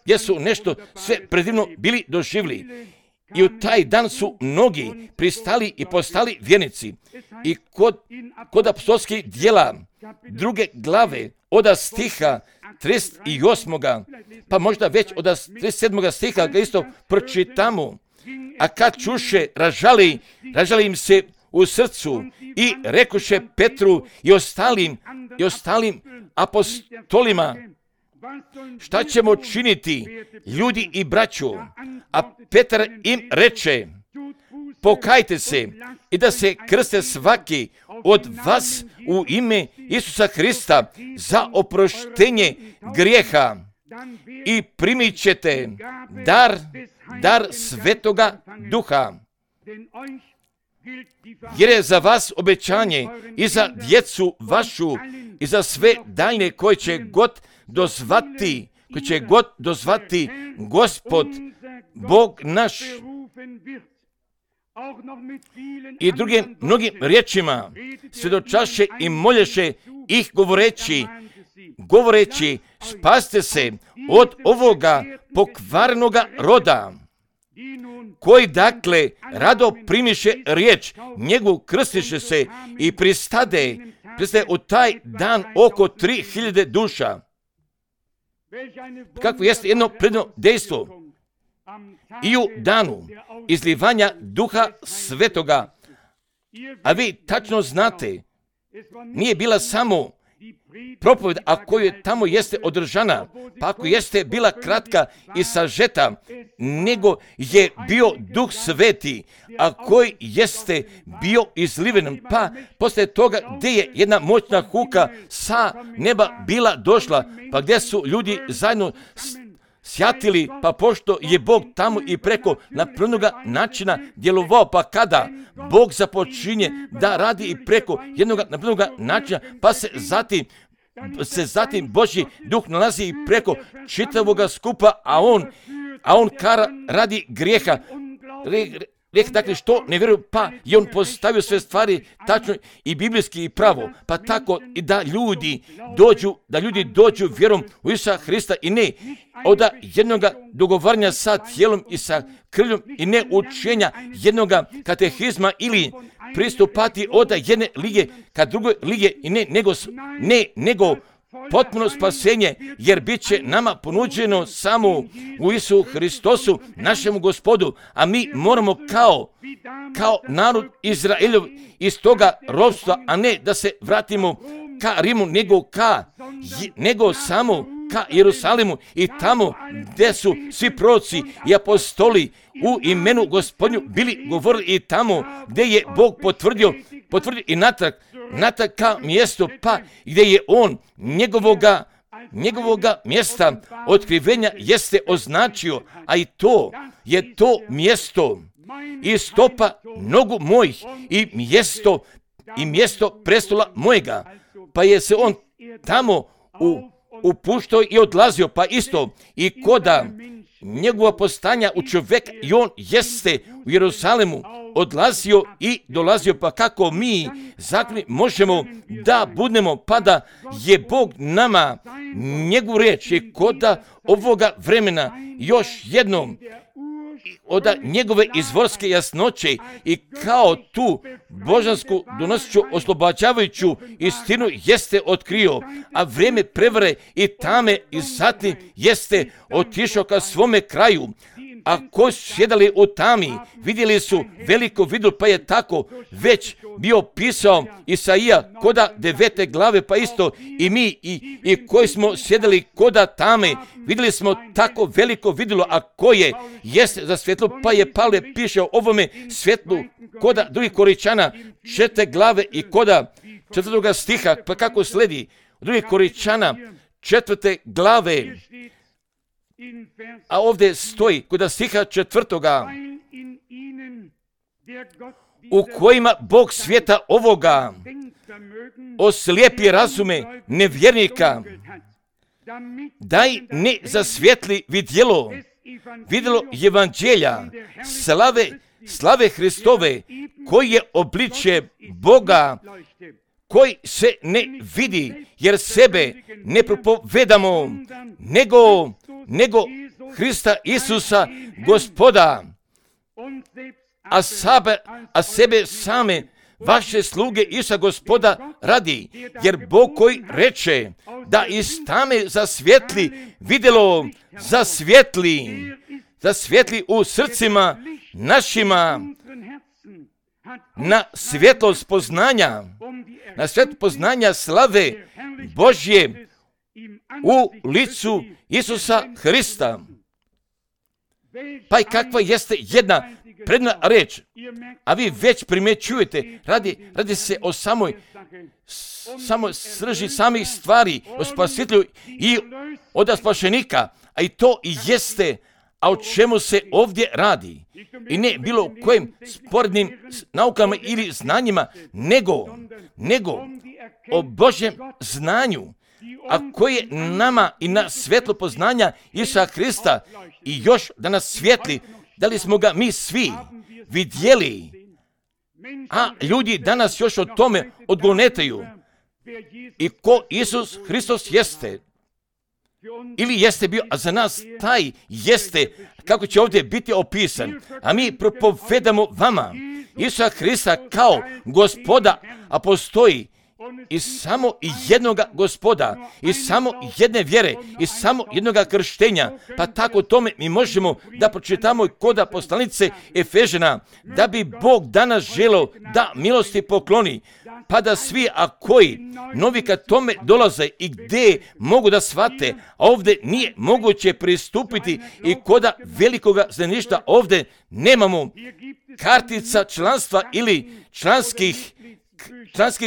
jesu nešto sve predivno bili doživjeli. I u taj dan su mnogi pristali i postali vjernici. I kod apostolskih djela 2. glave od stiha 38. pa možda već od 37. stiha ga isto pročitamo. A kad čuše, ražali im se u srcu i rekoše Petru i ostalim apostolima, šta ćemo činiti, ljudi i braćo? A Petar im reče, pokajte se i da se krste svaki od vas u ime Isusa Hrista za oproštenje grijeha i primit ćete dar Svetoga Duha. Jer je za vas obećanje i za djecu vašu i za sve daljne koje će god dozvati Gospod, Bog naš. I drugim mnogim riječima svjedočaše i molješe ih govoreći, spasite se od ovoga pokvarenoga roda, koji dakle rado primiše riječ, njegu krstiše se i pristade u taj dan oko 3000 duša. Kako jeste jedno predno dejstvo i u danu izlivanja Duha Svetoga, a vi tačno znate, nije bila samo propovjed, a koju tamo jeste održana, pa ako jeste bila kratka i sažeta, nego je bio Duh Sveti, a koji jeste bio izliven, pa poslije toga gdje je jedna moćna huka sa neba bila došla, pa gdje su ljudi zajedno sjatili, pa pošto je Bog tamo i preko napravljenoga načina djelovao, pa kada Bog započinje da radi i preko jednog napravljenoga načina, pa se zatim Božji Duh nalazi i preko čitavoga skupa, a on kara radi grijeha. Dakle, što ne vjeruju, pa je on postavio sve stvari tačno i biblijski i pravo, pa tako i da ljudi dođu vjerom u Isusa Hrista i ne od jednoga dogovaranja sa tijelom i sa krvljom i ne učenja jednoga katehizma ili pristupati od jedne lige ka drugoj lige i nego potpuno spasenje, jer bit će nama ponuđeno samo u Isusu Hristosu, našemu Gospodu, a mi moramo kao narod Izraelov iz toga ropstva, a ne da se vratimo ka Rimu, nego samo ka Jerusalimu i tamo gdje su svi proroci i apostoli u imenu Gospodnju bili govorili i tamo gdje je Bog potvrdio i natrag ka mjestu, pa gdje je on njegovoga mjesta otkrivenja jeste označio, a i to je to mjesto i stopa nogu mojih i mjesto prestola mojega, pa je se on tamo upuštao i odlazio, pa isto i koda njegova postanja u čovjeka i on jeste u Jerusalimu odlazio i dolazio, pa kako mi zakoni možemo da budemo, pa da je Bog nama njegovu riječ i koda ovoga vremena još jednom od njegove izvorske jasnoće i kao tu božansku donosiću oslobađavajuću istinu jeste otkrio, a vrijeme prevare i tame i zatim jeste otišao ka svome kraju. A koji su sjedali u tami, vidjeli su veliko vidu, pa je tako već bio pisao Isaija koda 9. glave, pa isto i mi i koji smo sjedali koda tame, vidjeli smo tako veliko vidjelo, a koje jeste za svjetlo, pa je Pavle piše o ovome svjetlu koda 2. Korinčana 4. glave i koda 4. stiha, pa kako sledi 2. Korinčana 4. glave. A ovdje stoji kod stiha 4. u kojima Bog svijeta ovoga oslijepi razume nevjernika daj ne zasvjetli vidjelo evanđelja, slave Hristove, koji je obličje Boga, koji se ne vidi, jer sebe ne propovedamo, nego Hrista Isusa, Gospoda, a sebe same, vaše sluge Isusa Gospoda radi, jer Bog koji reče da iz tame zasvjetli vidjelo, zasvjetli u srcima našima na svjetlost poznanja slave Božje u licu Isusa Hrista. Pa i kakva jeste jedna predna reč, a vi već primjećujete, radi se o samoj srži samih stvari, o spasitelju i od spašenika, a i to i jeste, a o čemu se ovdje radi. I ne bilo kojim sporednim naukama ili znanjima, nego o Božjem znanju, a koje nama i na svjetlo poznanja Isusa Hrista i još da nas svjetli, da li smo ga mi svi vidjeli, a ljudi danas još o tome odgonetaju. I ko Isus Hristos jeste, ili jeste bio, a za nas taj jeste, kako će ovdje biti opisan, a mi propovedamo vama Isusa Hrista kao Gospoda, a postoji i samo jednoga Gospoda, i samo jedne vjere, i samo jednoga krštenja. Pa tako tome mi možemo da pročitamo i koda poslanice Efežana, da bi Bog danas želeo da milosti pokloni, pa da svi, a koji novi kad tome dolaze i gdje mogu da shvate, a ovdje nije moguće pristupiti i koda velikoga zajedništva ovdje nemamo kartica članstva ili članskih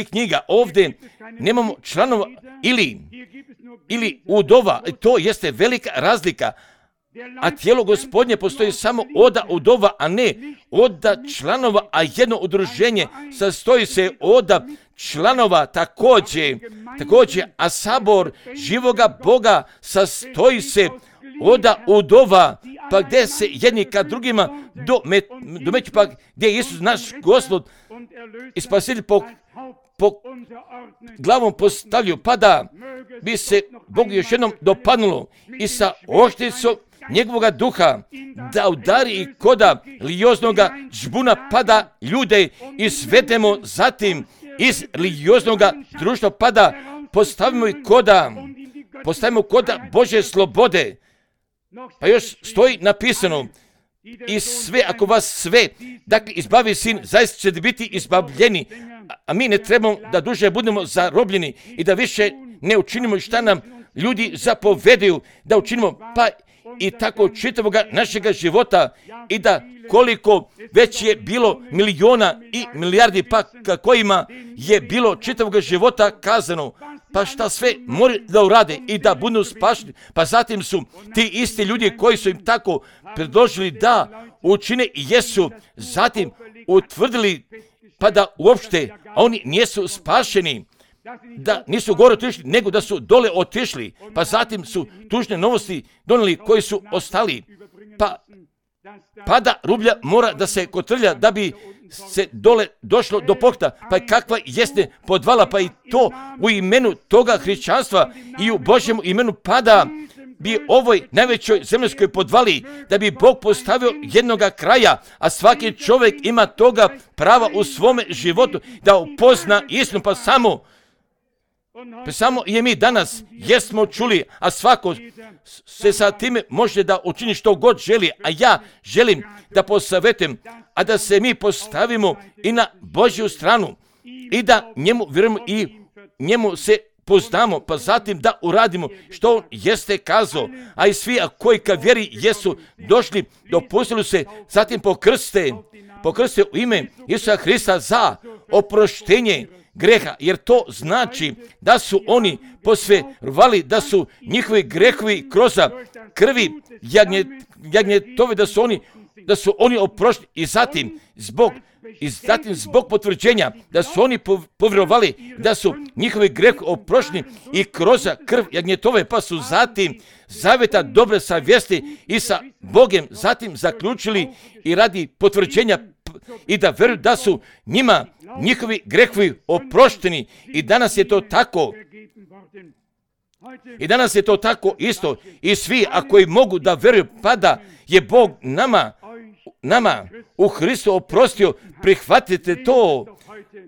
knjiga, ovdje nemamo članova ili udova, to jeste velika razlika. A tijelo Gospodnje postoji samo oda udova, a ne oda članova, a jedno udruženje sastoji se oda članova također, a sabor živoga Boga sastoji se oda udova, pa gdje se jedni kad drugima domeću, pa gdje je Isus naš Gospod i Spasitelj po glavom postavljaju, pa da bi se Bogu još jednom dopadnulo i sa oštricom njegovoga duha da udari i koda religioznoga žbuna pada ljude i svedemo zatim iz religioznoga društva pada postavimo koda Božje slobode. Pa još stoji napisano i sve, ako vas sve, dakle, izbavi sin, zaista ćete biti izbavljeni, a mi ne trebamo da duže budemo zarobljeni i da više ne učinimo šta nam ljudi zapovedaju da učinimo, pa i tako čitavoga našega života, i da koliko već je bilo miliona i milijardi pa kojima je bilo čitavoga života kazano, pa šta sve moraju da urade i da budu spašeni, pa zatim su ti isti ljudi koji su im tako predložili da učine i jesu zatim utvrdili pa da uopšte oni nisu spašeni, da nisu gore otišli, nego da su dole otišli, pa zatim su tužne novosti donijeli koji su ostali, pa da rublja mora da se kotrlja da bi se dole došlo do pokta, pa kakva jeste podvala, pa i to u imenu toga hrišćanstva i u Božjem imenu pada bi ovoj najvećoj zemaljskoj podvali, da bi Bog postavio jednoga kraja, a svaki čovjek ima toga prava u svome životu da upozna istinu, pa samo je mi danas jesmo čuli, a svako se sa time može da učini što god želi, a ja želim da posavjetujem, a da se mi postavimo i na Božju stranu i da njemu vjerujemo i njemu se poznamo, pa zatim da uradimo što on jeste kazao, a i svi koji ka vjeri jesu došli, dopustili se, zatim pokrste u ime Isusa Hrista za oproštenje greha, jer to znači da su oni posverovali, da su njihovi grehovi kroz krvi jagnjetove, da su oni oprošteni, i zatim zbog i zatim zbog potvrđenja da su oni povjerovali da su njihovi greh oprošteni i kroz krv jagnjetove, pa su zatim zaveta dobre savjesti i sa Bogom zatim zaključili i radi potvrđenja i da vjeruju da su njima njihovi grehovi oprošteni. I danas je to tako. I danas je to tako isto. I svi, ako i mogu da vjeruju, pa da je Bog nama u Hristu oprostio, prihvatite to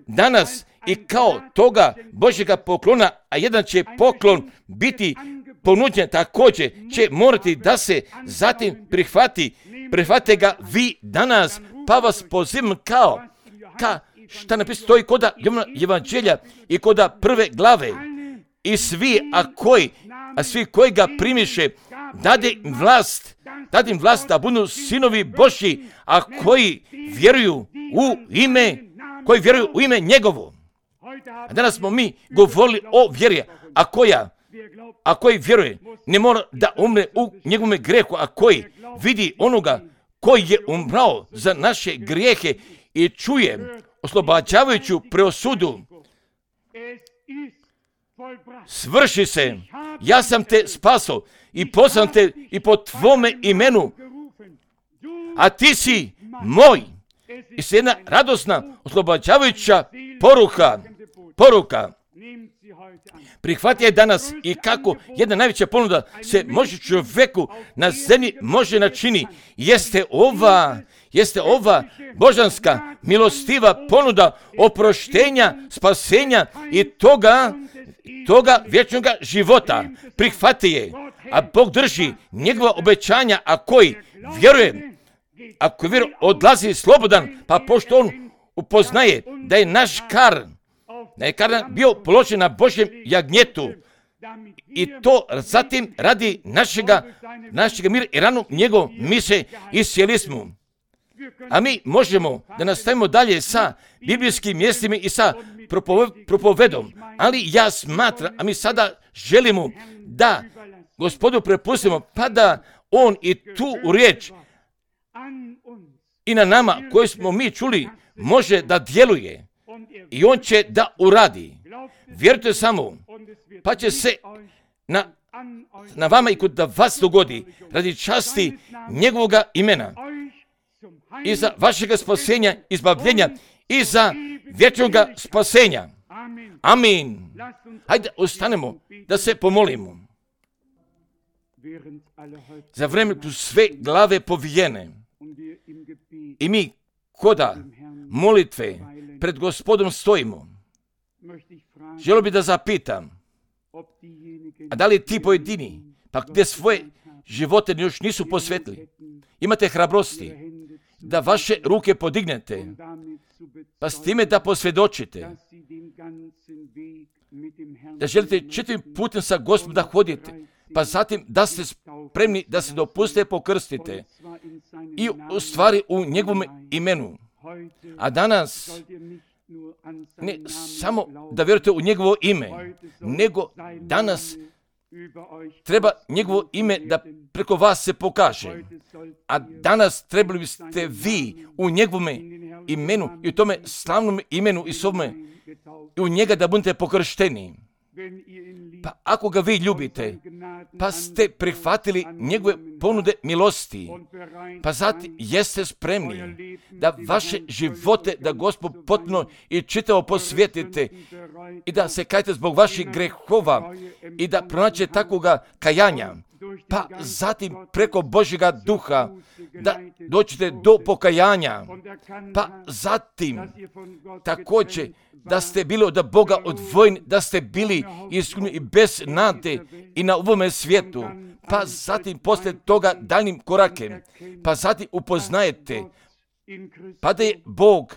danas i kao toga Božjega poklona, a jedan će poklon biti ponuđen također, će morati da se zatim prihvati. Prihvatite ga vi danas, pa vas pozivam šta napisano stoji koda Evanđelja i koda prve glave. I svi, svi koji ga primiše, dade im vlast da budu sinovi Božji, a koji vjeruju u ime njegovo. A danas smo mi govorili o vjeri, a koji vjeruje, ne mora da umre u njegovome grehu, a koji vidi onoga koji je umrao za naše grijehe i čuje oslobađavajuću preosudu. Svrši se, ja sam te spasao i poslao te i po tvome imenu, a ti si moj. I se jedna radosna, oslobađavajuća poruka. Prihvati je danas i kako jedna najveća ponuda se može čovjeku na zemlji može načini. Jeste ova božanska milostiva ponuda oproštenja, spasenja i toga vječnog života. Prihvati je, a Bog drži njegova obećanja, ako vjeruje, odlazi slobodan, pa pošto on upoznaje da je naš kar bio položen na Božjem jagnjetu i to zatim radi našega mira i ranu njegov mise i sjeli smo. A mi možemo da nastavimo dalje sa biblijskim mjestima i sa propovedom, ali ja smatram, a mi sada želimo da Gospodu prepustimo, pa da on i tu riječ i na nama koju smo mi čuli može da djeluje i on će da uradi. Vjerujte samo, pa će se na vama i kod vas dogodi radi časti njegovoga imena i za vašega spasenja, izbavljenja i za vječnoga spasenja. Amin. Hajde, ostanemo da se pomolimo. Za vrijeme tu sve glave povijene i mi koda molitve pred Gospodom stojimo. Želio bi da zapitam, a da li ti pojedini, pa gdje svoje živote još nisu posvetili, imate hrabrosti da vaše ruke podignete, pa s time da posvjedočite, da želite čitavim putem sa Gospodom da hodite, pa zatim da ste spremni da se dopuste pokrstite i u stvari u njegovom imenu. A danas ne samo da vjerujete u njegovo ime, nego danas treba njegovo ime da preko vas se pokaže. A danas trebali biste vi u njegovome imenu i u tome slavnom imenu i svome i u njega da budete pokršteni. Pa ako ga vi ljubite, pa ste prihvatili njegove ponude milosti, pa zatim jeste spremni da vaše živote, da Gospod potpuno i čitavo posvetite i da se kajete zbog vaših grehova i da pronađete takvoga kajanja, pa zatim preko Božjega duha da dođete do pokajanja, pa zatim također da ste bili od Boga odvojeni, da ste bili iskreni i bez nade i na ovome svijetu, pa zatim poslije toga daljnim korakem, pa zatim upoznajete, pa da je Bog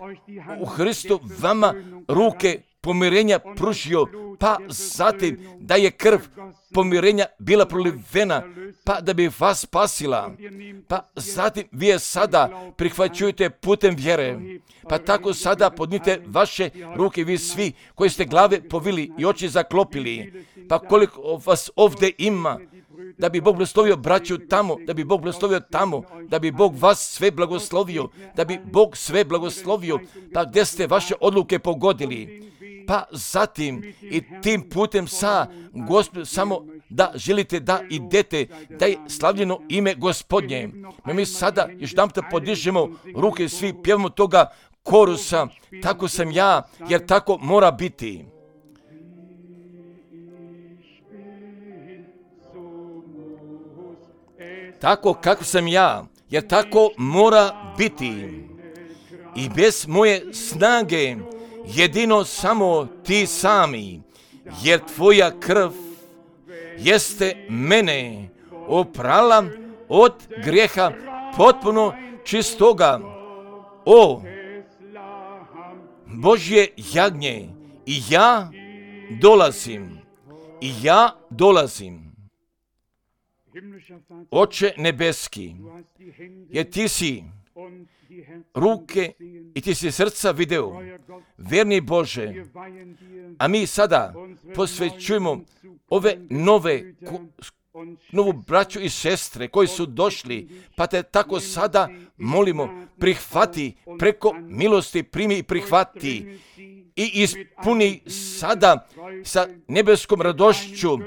u Hristu vama ruke pomirenja pružio, pa zatim da je krv pomirenja bila prolivena, pa da bi vas spasila, pa zatim vi je sada prihvaćujete putem vjere, pa tako sada podnite vaše ruke vi svi koji ste glave povili i oči zaklopili, pa koliko vas ovdje ima, da bi Bog blagoslovio braću tamo, da bi Bog blagoslovio tamo, da bi Bog vas sve blagoslovio, da bi Bog sve blagoslovio, pa gdje ste vaše odluke pogodili. Pa zatim i tim putem Gospod, samo da želite da idete, da je slavljeno ime Gospodnje. Mi sada još jedanput podižemo ruke, svi pjevamo toga korusa, tako sam ja, jer tako mora biti. Tako kako sam ja, jer tako mora biti. I bez moje snage, jedino samo ti sami, jer tvoja krv jeste mene oprala od grijeha potpuno čistoga. O Božje jagnje, i ja dolazim. Oče nebeski, jer ti si ruke i ti si srca video, verni Bože, a mi sada posvećujemo ove novu braću i sestre koji su došli, pa te tako sada molimo, prihvati, preko milosti primi i prihvati i ispuni sada sa nebeskom radošću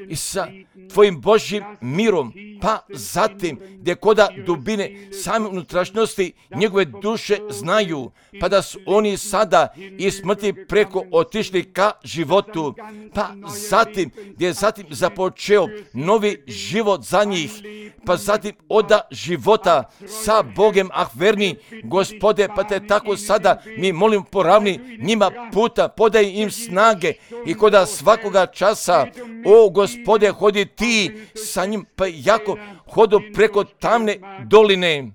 i sa tvojim Božjim mirom, pa zatim gdje koda dubine same unutrašnjosti njegove duše znaju, pa da su oni sada iz smrti preko otišli ka životu, pa zatim gdje je zatim započeo novi život za njih, pa zatim oda života sa Bogem, verni Gospode, pa te tako sada mi molim poravni njima puta, podaj im snage i koda svakoga časa, o Gospode, hodi ti sa njim, pa jako hodu preko tamne doline.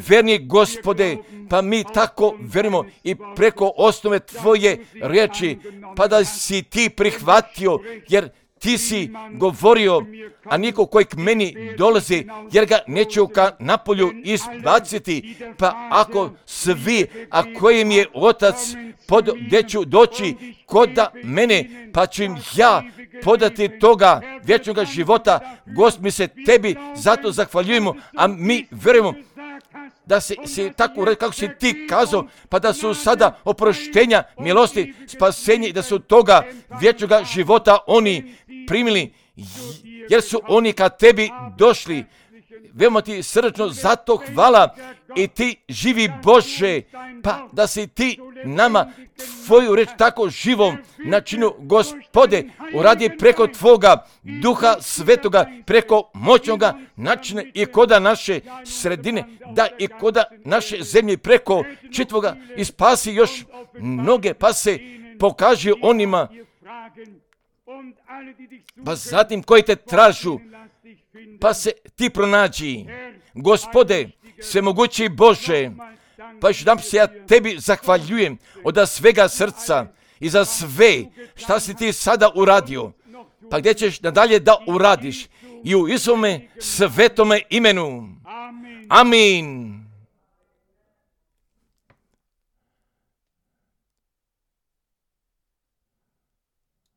Verni Gospode, pa mi tako verimo i preko osnove tvoje riječi, pa da si ti prihvatio, jer ti si govorio, a niko koji k meni dolazi, jer ga neću ka napolju izbaciti, pa ako svi, a kojim je Otac gdje ću doći koda mene, pa ću im ja podati toga vječnoga života. Gospod, mi se tebi zato zahvaljujemo, a mi verujemo da si tako kako si ti kazao, pa da su sada oproštenja, milosti, spasenje i da su toga vječnoga života oni primili, jer su oni ka tebi došli. Veoma ti srčno zato hvala i ti živi Bože, pa da si ti nama tvoju reč tako živom načinu, Gospode, uradi preko tvoga Duha Svetoga, preko moćnoga načina i koda naše sredine, da i koda naše zemlje preko čitvoga i spasi još mnoge, pa se pokaži onima, pa zatim koji te tražu, pa se ti pronađi. Gospode, svemogući Bože, pa još dam se ja tebi zahvaljujem od svega srca i za sve šta si ti sada uradio, pa gdje ćeš nadalje da uradiš i u Isuvome svetome imenu. Amin.